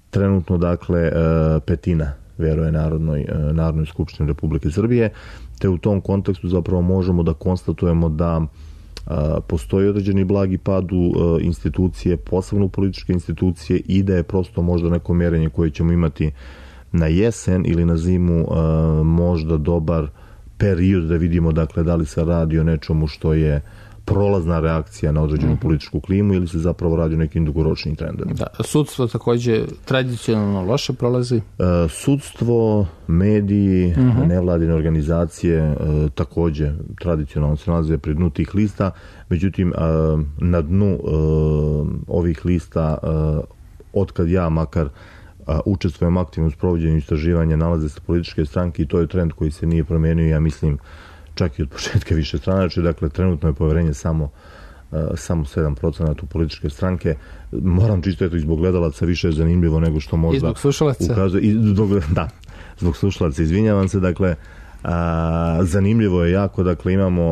Trenutno, dakle, 1/5 vjeruje Narodnoj skupštini Republike Srbije, te u tom kontekstu zapravo možemo da konstatujemo da postoji određeni blagi pad u institucije, posebno u političke institucije, i da je prosto možda neko mjerenje koje ćemo imati na jesen ili na zimu možda dobar period da vidimo dakle da li se radi o nečemu što je prolazna reakcija na određenu političku klimu ili se zapravo radi o nekim dugoročnim trendovima. Da, sudstvo također tradicionalno loše prolazi? Sudstvo, mediji, nevladine organizacije također tradicionalno se nalaze pri dnu tih lista, međutim na dnu ovih lista otkad ja makar učestvujem aktivno u sprovođenju istraživanja nalaze se političke stranke i to je trend koji se nije promijenio, ja mislim čak i od početka više stranačke. Dakle, trenutno je poverenje samo 7% u političke stranke. Moram čisto eto i zbog gledalaca više je zanimljivo nego što možda i zbog slušalaca. Ukazuje. Zbog slušalaca, izvinjavam se. Dakle, zanimljivo je jako, dakle imamo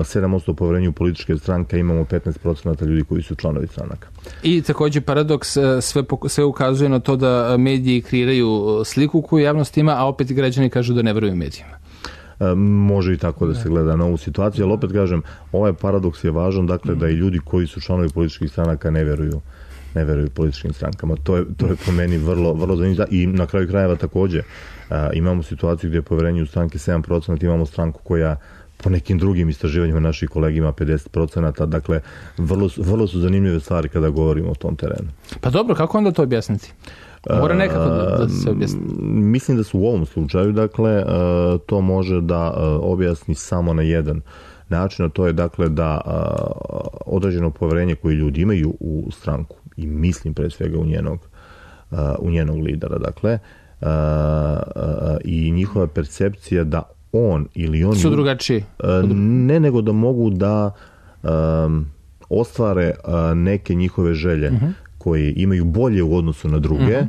7% poverenja u političke stranke, imamo 15% ljudi koji su članovi stranaka. I također paradoks, sve ukazuje na to da mediji kreiraju sliku koju javnost ima, a opet građani kažu da ne veruju medijima. Može i tako da se gleda na ovu situaciju, ali opet kažem, ovaj paradoks je važan, dakle da i ljudi koji su članovi političkih stranaka ne veruju političkim strankama. To je po meni vrlo, vrlo zanimljivo. I na kraju krajeva također imamo situaciju gdje je poverenje u stranke 7%, imamo stranku koja po nekim drugim istraživanjima naših kolegima 50%. Dakle, vrlo su zanimljive stvari kada govorimo o tom terenu. Pa dobro, kako onda to objasniti? Mora nekako da se objasni. Mislim da su u ovom slučaju, dakle, to može da objasni samo na jedan način, a to je dakle da određeno poverenje koje ljudi imaju u stranku, i mislim pre svega u njenog lidera, dakle, i njihova percepcija da on ili oni su drugačiji. Ne, nego da mogu da ostvare neke njihove želje koje imaju bolje u odnosu na druge,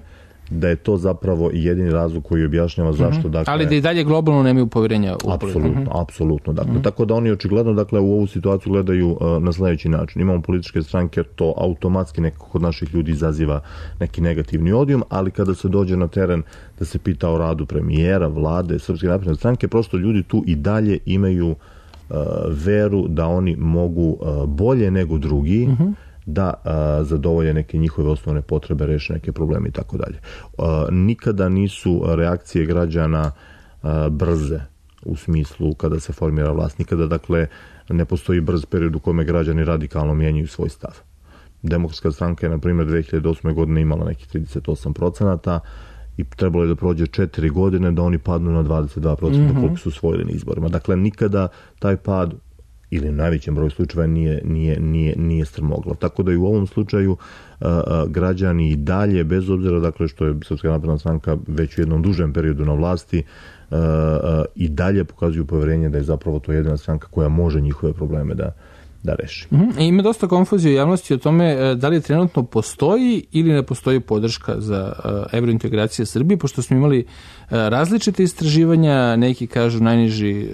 da je to zapravo jedini razlog koji objašnjava zašto. Dakle, ali da i dalje globalno nemaju poverenja u politiku. Apsolutno. Dakle, tako da oni očigledno, dakle, u ovu situaciju gledaju na sljedeći način. Imamo političke stranke, to automatski nekako kod naših ljudi izaziva neki negativni odijum, ali kada se dođe na teren da se pita o radu premijera, vlade, Srpske napredne stranke, prosto ljudi tu i dalje imaju veru da oni mogu bolje nego drugi da zadovolje neke njihove osnovne potrebe, reše neke probleme i tako dalje. Nikada nisu reakcije građana brze u smislu kada se formira vlast. Nikada, dakle, ne postoji brz period u kome građani radikalno mijenjaju svoj stav. Demokratska stranka je, na primjer, 2008. godine imala nekih 38% i trebalo je da prođe 4 godine da oni padnu na 22% koliko su osvojili na izborima. Dakle, nikada taj pad ili u najvećem broju slučajeva nije strmoglav. Tako da i u ovom slučaju građani i dalje, bez obzira, dakle, što je Srpska napredna stranka već u jednom dužem periodu na vlasti, i dalje pokazuju poverenje da je zapravo to jedina stranka koja može njihove probleme da reši. Ima dosta konfuzije u javnosti o tome da li trenutno postoji ili ne postoji podrška za evrointegracije Srbije, pošto smo imali različite istraživanja, neki kažu najniži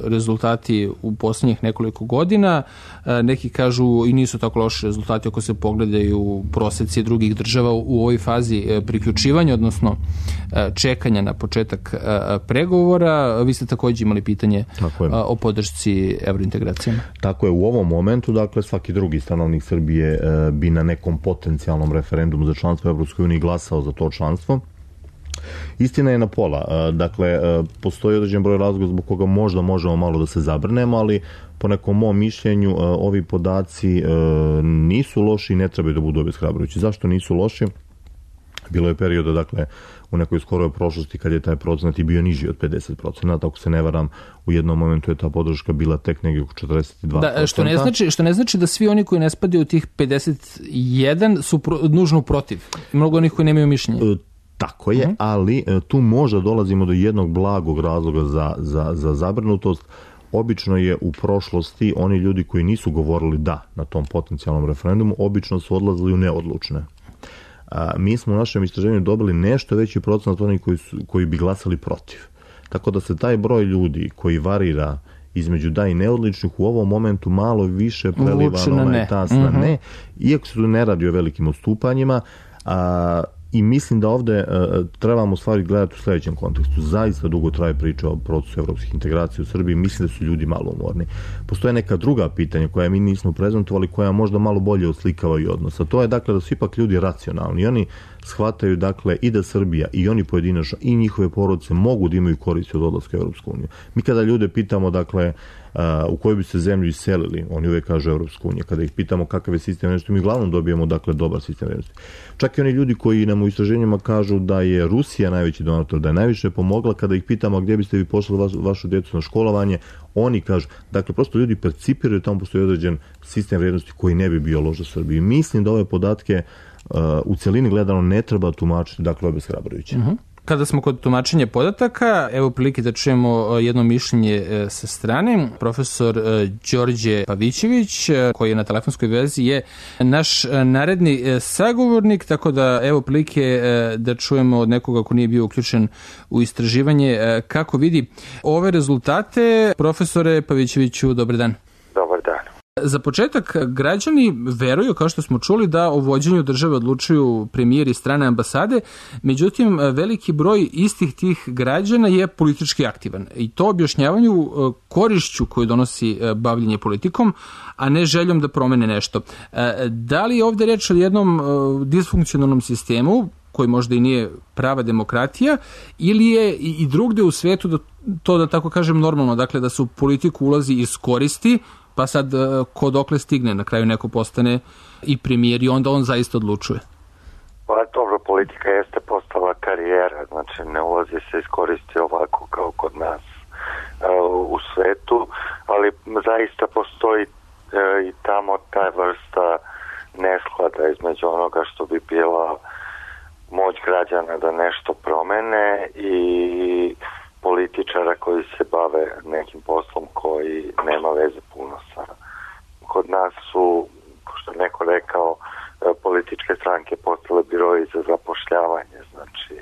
rezultati u posljednjih nekoliko godina, neki kažu i nisu tako loši rezultati ako se pogledaju proseci drugih država u ovoj fazi priključivanja, odnosno čekanja na početak pregovora. Vi ste također imali pitanje o podršci evrointegracijama. Tako je, u ovom momentu, dakle, svaki drugi stanovnik Srbije bi na nekom potencijalnom referendumu za članstvo u Evropskoj uniji glasao za to članstvo. Istina je na pola. Dakle, postoji određen broj razloga zbog koga možda možemo malo da se zabrnemo, ali po nekom mom mišljenju ovi podaci nisu loši i ne trebaju da budu obeshrabrujući. Zašto nisu loši? Bilo je perioda, dakle, u nekoj skoroj prošlosti kad je taj procenat i bio niži od 50%. Ako se ne varam, u jednom momentu je ta podrška bila tek negdje oko 42%. Da, što ne znači da svi oni koji ne spadaju u tih 51 su nužno protiv. Mnogo onih koji nemaju mišljenje. Tako je, ali tu možda dolazimo do jednog blagog razloga za zabrinutost. Obično je u prošlosti oni ljudi koji nisu govorili da na tom potencijalnom referendumu, obično su odlazili u neodlučne. Mi smo u našem istraživanju dobili nešto veći procenat onih koji bi glasali protiv. Tako da se taj broj ljudi koji varira između da i neodličnih u ovom momentu malo više preliva na onaj tas na ne, iako se tu ne radi o velikim odstupanjima, i mislim da ovdje trebamo stvari gledati u sljedećem kontekstu. Zaista dugo traje priča o procesu evropskih integracija u Srbiji. Mislim da su ljudi malo umorni. Postoje neka druga pitanja koja mi nismo prezentovali, koja možda malo bolje oslikavaju odnos. A to je, dakle, da su ipak ljudi racionalni. I oni shvataju, dakle, i da Srbija i oni pojedinačno i njihove porodice mogu da imaju koristi od odlaska u Evropsku uniju. Mi kada ljude pitamo, dakle, u koju bi se zemlju iselili, oni uvijek kažu Evropsku uniju. Kada ih pitamo kakav je sistem vrijednosti, mi uglavnom dobijemo, dakle, dobar sistem vrijednosti. Čak i oni ljudi koji nam u istraženjima kažu da je Rusija najveći donator, da je najviše pomogla, kada ih pitamo gdje biste vi poslali vašu djecu na školovanje, oni kažu, dakle, prosto ljudi percipiraju, tamo postoji određen sistem vrijednosti koji ne bi bio loš za Srbiju. Mislim da ove podatke u cjelini gledano ne treba tumačiti, dakle, obeshrabrujuće. Kada smo kod tumačenja podataka, evo prilike da čujemo jedno mišljenje sa strane. Profesor Đorđe Pavićević, koji je na telefonskoj vezi, je naš naredni sagovornik, tako da evo prilike da čujemo od nekoga ko nije bio uključen u istraživanje kako vidi ove rezultate. Profesore Pavićeviću, dobar dan. Dobar dan. Za početak, građani veruju, kao što smo čuli, da o vođenju države odlučuju premijer i strane ambasade, međutim, veliki broj istih tih građana je politički aktivan i to objašnjavanju korišću koju donosi bavljenje politikom, a ne željom da promene nešto. Da li je ovdje reč o jednom disfunkcionalnom sistemu koji možda i nije prava demokratija, ili je i drugde u svetu da tako kažem normalno, dakle da se u politiku ulazi iz koristi, pa sad ko dokle stigne, na kraju neko postane i premijer i onda on zaista odlučuje. Pa dobro, politika jeste postala karijera, znači ne ulazi se iskoristi ovako kao kod nas u svetu, ali zaista postoji i tamo ta vrsta nesklada između onoga što bi bila moć građana da nešto promene i političara koji se bave nekim poslom koji nema veze puno sa. Kod nas su, što je neko rekao, političke stranke postale biroji za zapošljavanje, znači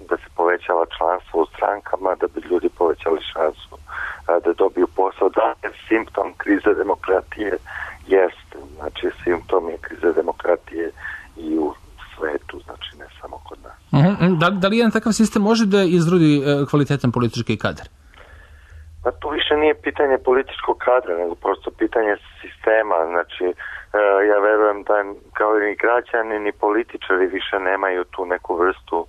da se povećava članstvo u strankama, da bi ljudi povećali šansu da dobiju posao. Da je simptom krize demokratije, jeste, znači simptom je krize demokratije i u svetu, znači ne samo kod nas. Da li jedan takav sistem može da izrodi kvalitetan politički kadar? Pa to više nije pitanje političkog kadra, nego prosto pitanje sistema. Znači, ja verujem da kao i građani ni političari više nemaju tu neku vrstu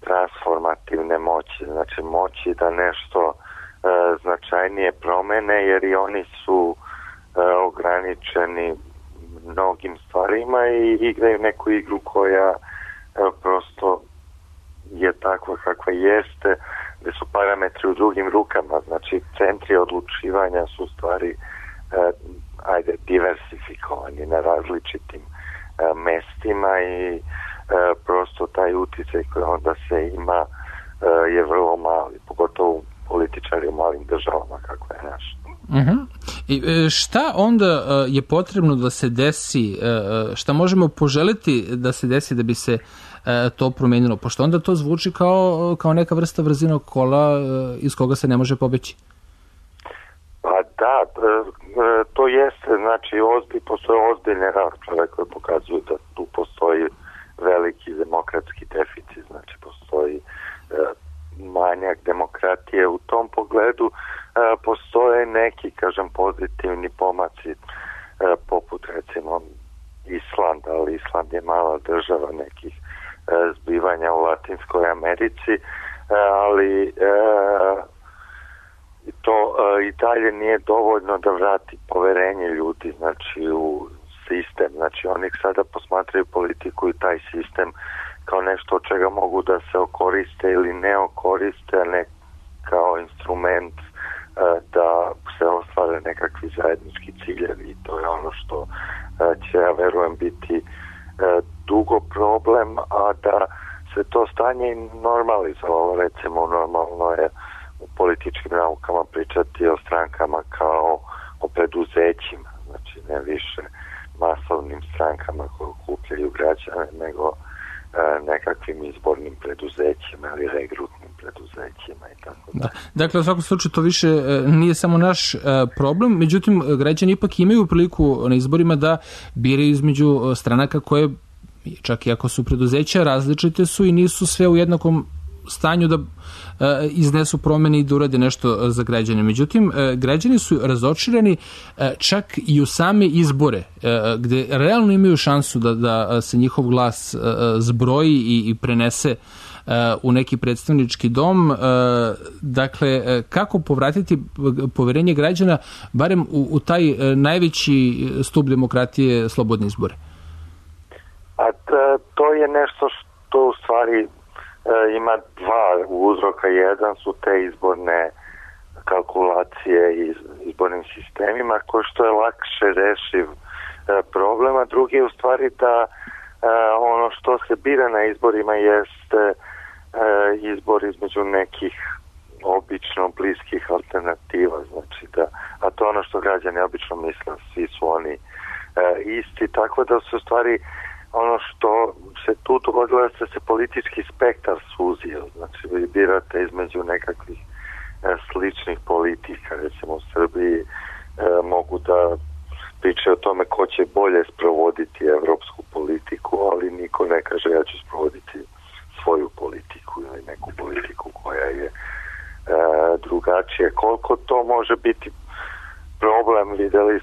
transformativne moći. Znači, moći da nešto značajnije promene, jer i oni su ograničeni mnogim stvarima i igraju neku igru koja prosto je takva kakva jeste, gde su parametri u drugim rukama, znači centri odlučivanja su stvari diversifikovani na različitim mestima i prosto taj uticaj koji onda se ima je vrlo mali, pogotovo političari u malim državama kako je naš. I šta onda je potrebno da se desi, šta možemo poželiti da se desi da bi se to promenilo, pošto onda to zvuči kao neka vrsta vrzinog kola iz koga se ne može pobeći? Pa da, to jeste, znači postoje ozbiljne rasprave koje pokazuju da tu postoji veliki demokratski deficit, znači postoji manjak demokratije u tom pogledu. Postoje neki, kažem, pozitivni pomaci poput recimo Islanda, ali Island je mala država nekih zbivanja u Latinskoj Americi, ali to i dalje nije dovoljno da vrati poverenje ljudi, znači u sistem. Znači oni sada posmatraju politiku i taj sistem kao nešto od čega mogu da se okoriste ili ne okoriste, a ne kao instrument da se ostvare nekakvi zajednički ciljevi. I to je ono što će, ja verujem, biti dugo problem, a da se to stanje normalizovalo. Recimo, normalno je u političkim naukama pričati o strankama kao o preduzećima, znači ne više masovnim strankama koje okupljaju građane, nego nekakvim izbornim preduzećima ili regrutnim preduzećima i tako da. Dakle, u svakom slučaju to više nije samo naš problem, međutim građani ipak imaju priliku na izborima da biraju između stranaka koje, čak i ako su preduzeća, različite su i nisu sve u jednakom stanju da iznesu promene i da urade nešto za građane. Međutim, građani su razočarani čak i u same izbore, gde realno imaju šansu da se njihov glas zbroji i prenese u neki predstavnički dom. Dakle, kako povratiti poverenje građana barem u taj najveći stub demokratije, slobodne izbore? A to je nešto što u stvari ima dva uzroka. Jedan su te izborne kalkulacije i izbornim sistemima, koji što je lakše rešiv problem, a drugi je u stvari da ono što se bira na izborima jeste izbor između nekih obično bliskih alternativa, znači da, a to ono što građani obično misle, svi su oni isti, tako da su u stvari ono što se tu dogodilo da se politički spektar suzio, znači vi birate između nekakvih sličnih politika, recimo u Srbiji mogu da pričaju o tome ko će bolje sprovoditi evropsku politiku, ali niko ne kaže ja ću sprovoditi svoju politiku ili neku politiku koja je drugačija. Koliko to može biti problem, videli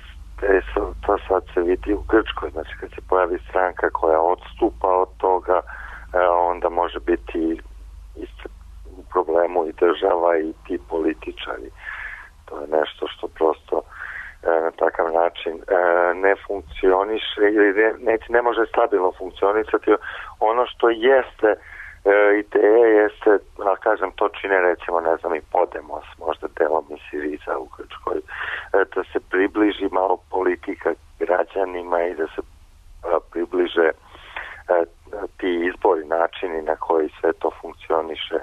to sad se vidi u Grčkoj, znači kad se pojavi stranka koja odstupa od toga, onda može biti u problemu i država i ti političari. To je nešto što prosto na takav način ne funkcioniše ili ne može stabilno funkcionisati. Ono što jeste ideja jeste, kažem, to čine recimo, ne znam, i Podemos, možda delom i Siriza u Grčkoj, da se približi malo politika građanima i da se približe ti izbori, načini na koji sve to funkcioniše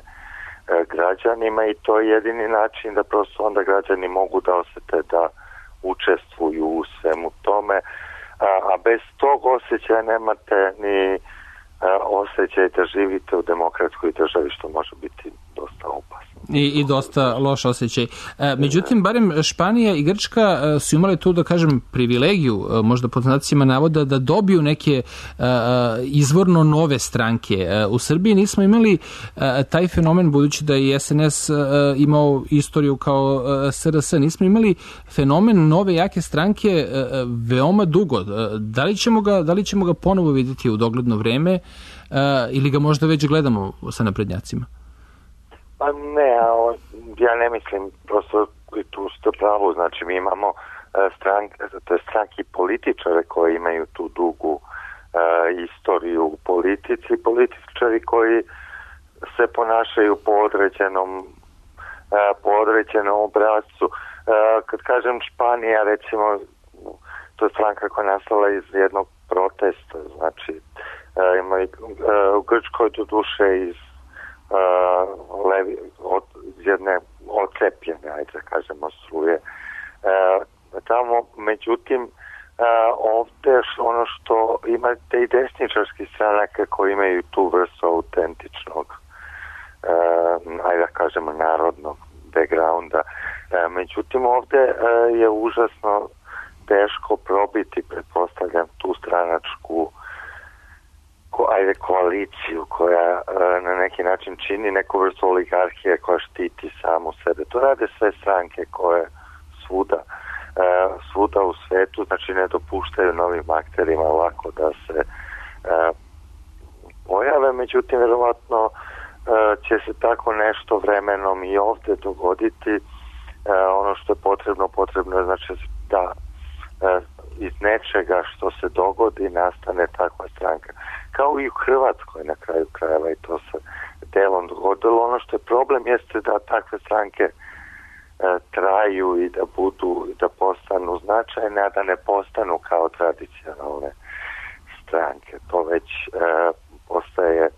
građanima i to je jedini način da prosto onda građani mogu da osete da učestvuju u svemu tome, a bez tog osjećaja nemate ni osjećaj da živite u demokratskoj državi, što može biti dosta opasno. I dosta loš osjećaj. Međutim, barem Španija i Grčka su imali tu, da kažem, privilegiju, možda pod znacima navoda, da dobiju neke izvorno nove stranke. U Srbiji nismo imali taj fenomen, budući da je SNS imao istoriju kao SRS, nismo imali fenomen nove jake stranke veoma dugo. Da li ćemo ga ponovo vidjeti u dogledno vreme ili ga možda već gledamo sa naprednjacima? Pa ne, ja ne mislim, prosto tu ste pravo, znači mi imamo stranke i političare koji imaju tu dugu istoriju u politici, političari koji se ponašaju po određenom obrazcu. Kad kažem Španija, recimo, to je stranka koja je nastala iz jednog protesta, znači ima i u Grčkoj do duše iz jedne ocepljene, ajde da kažemo, struje. Tamo, međutim, ovdje ono što imate i desničarski stranaka koji imaju tu vrstu autentičnog, ajde da kažemo, narodnog backgrounda. Međutim, ovdje je užasno teško probiti, pretpostavljam, tu stranačku koaliciju koja na neki način čini neku vrstu oligarhije koja štiti samu sebe. To rade sve stranke koje svuda u svetu, znači ne dopuštaju novim akterima lako da se pojave, međutim vjerovatno će se tako nešto vremenom i ovdje dogoditi. Ono što je potrebno je znači da iz nečega što se dogodi nastane takva stranka. Kao i u Hrvatskoj na kraju krajeva i to se delom dogodilo. Ono što je problem jeste da takve stranke traju i da postanu značajne, a da ne postanu kao tradicionalne stranke. To već postaje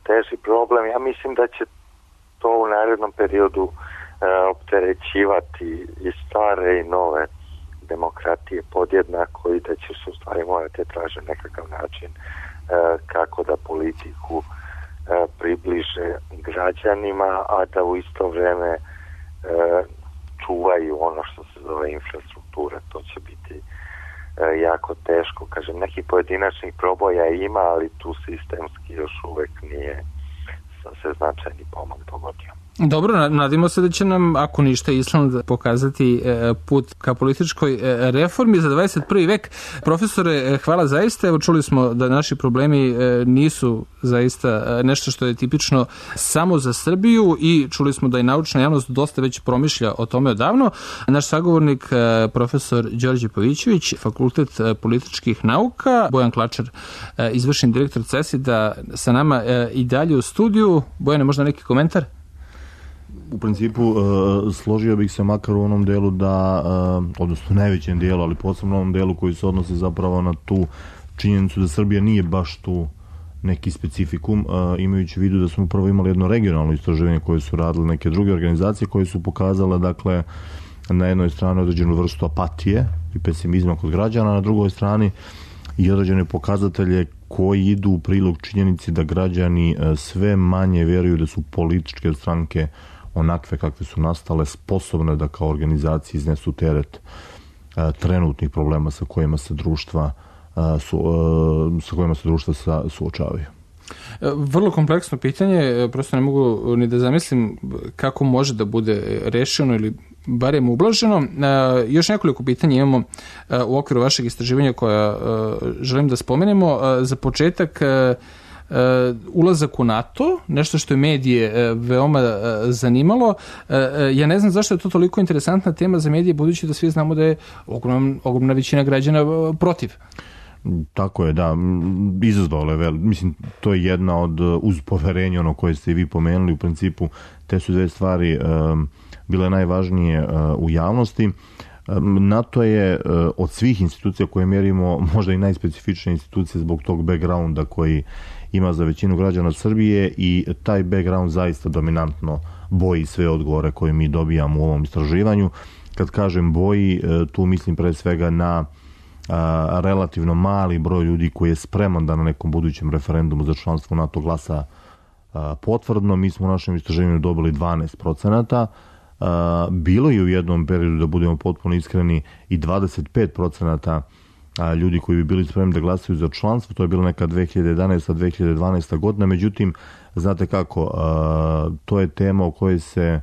teži problem. Ja mislim da će to u narednom periodu opterećivati i stare i nove demokratije podjednako i da će se u stvari morati tražiti nekakav način kako da politiku približe građanima, a da u isto vrijeme čuvaju ono što se zove infrastruktura. To će biti jako teško. Kažem, nekih pojedinačnih proboja ima, ali tu sistemski još uvek nije se značajni pomak dogodio. Dobro, nadimo se da će nam, ako ništa, Island pokazati put ka političkoj reformi za 21. vek. Profesore, hvala zaista. Evo, čuli smo da naši problemi nisu zaista nešto što je tipično samo za Srbiju i čuli smo da i naučna javnost dosta već promišlja o tome odavno. Naš sagovornik, profesor Đorđe Pavićević, Fakultet političkih nauka, Bojan Klačar, izvršni direktor CESID-a, sa nama i dalje u studiju. Bojane, možda neki komentar? U principu složio bih se makar u onom delu da, odnosno najvećem dijelu, ali posebno u onom delu koji se odnosi zapravo na tu činjenicu da Srbija nije baš tu neki specifikum, imajući u vidu da smo upravo imali jedno regionalno istraživanje koje su radile neke druge organizacije koje su pokazale, dakle, na jednoj strani određenu vrstu apatije i pesimizma kod građana, na drugoj strani i određene pokazatelje koji idu u prilog činjenici da građani sve manje vjeruju da su političke stranke onakve kakve su nastale sposobne da kao organizacije iznesu teret trenutnih problema sa kojima se društva suočavaju. Vrlo kompleksno pitanje, prosto ne mogu ni da zamislim kako može da bude rešeno ili barem ublaženo. Još nekoliko pitanja imamo u okviru vašeg istraživanja koja želim da spomenemo. Za početak, ulazak u NATO, nešto što je medije veoma zanimalo. Ja ne znam zašto je to toliko interesantna tema za medije, budući da svi znamo da je ogromna većina građana protiv. Tako je, da, izazvalo je mislim, to je jedna od, uz poverenje ono koje ste i vi pomenuli, u principu te su dve stvari bile najvažnije u javnosti. NATO je od svih institucija koje mjerimo možda i najspecifičnija institucija zbog tog backgrounda koji ima za većinu građana Srbije i taj background zaista dominantno boji sve odgovore koje mi dobijamo u ovom istraživanju. Kad kažem boji, tu mislim pre svega na relativno mali broj ljudi koji je spreman da na nekom budućem referendumu za članstvo u NATO glasa potvrdno. Mi smo u našem istraživanju dobili 12%. Bilo je u jednom periodu, da budemo potpuno iskreni, i 25% ljudi koji bi bili spremni da glasaju za članstvo. To je bilo neka 2011-2012 godina. Međutim, znate kako, to je tema o kojoj se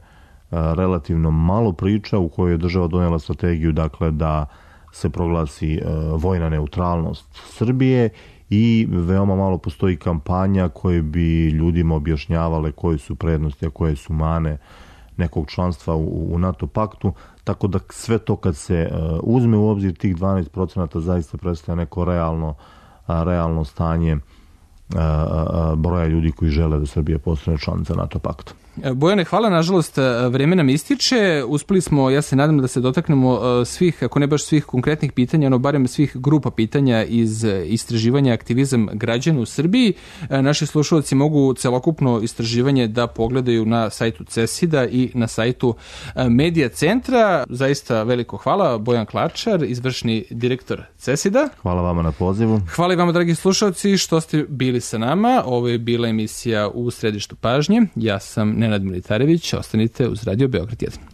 relativno malo priča, u kojoj je država donijela strategiju, dakle, da se proglasi vojna neutralnost Srbije i veoma malo postoji kampanja koje bi ljudima objašnjavale koje su prednosti, a koje su mane nekog članstva u NATO paktu, tako da sve to kad se uzme u obzir, tih 12% zaista predstavlja neko realno stanje broja ljudi koji žele da Srbija postane članica NATO pakta. Bojane, hvala, nažalost vreme nam ističe, uspeli smo, ja se nadam da se dotaknemo svih, ako ne baš svih konkretnih pitanja, ono barem svih grupa pitanja iz istraživanja aktivizam građana u Srbiji. Naši slušalci mogu celokupno istraživanje da pogledaju na sajtu CESID-a i na sajtu Medija centra. Zaista veliko hvala, Bojan Klačar, izvršni direktor CESID-a. Hvala vama na pozivu. Hvala i vama, dragi slušalci, što ste bili sa nama. Ovo je bila emisija U središtu pažnje. Ja sam Nenad Militarević, ostanite uz Radio Beograd 1.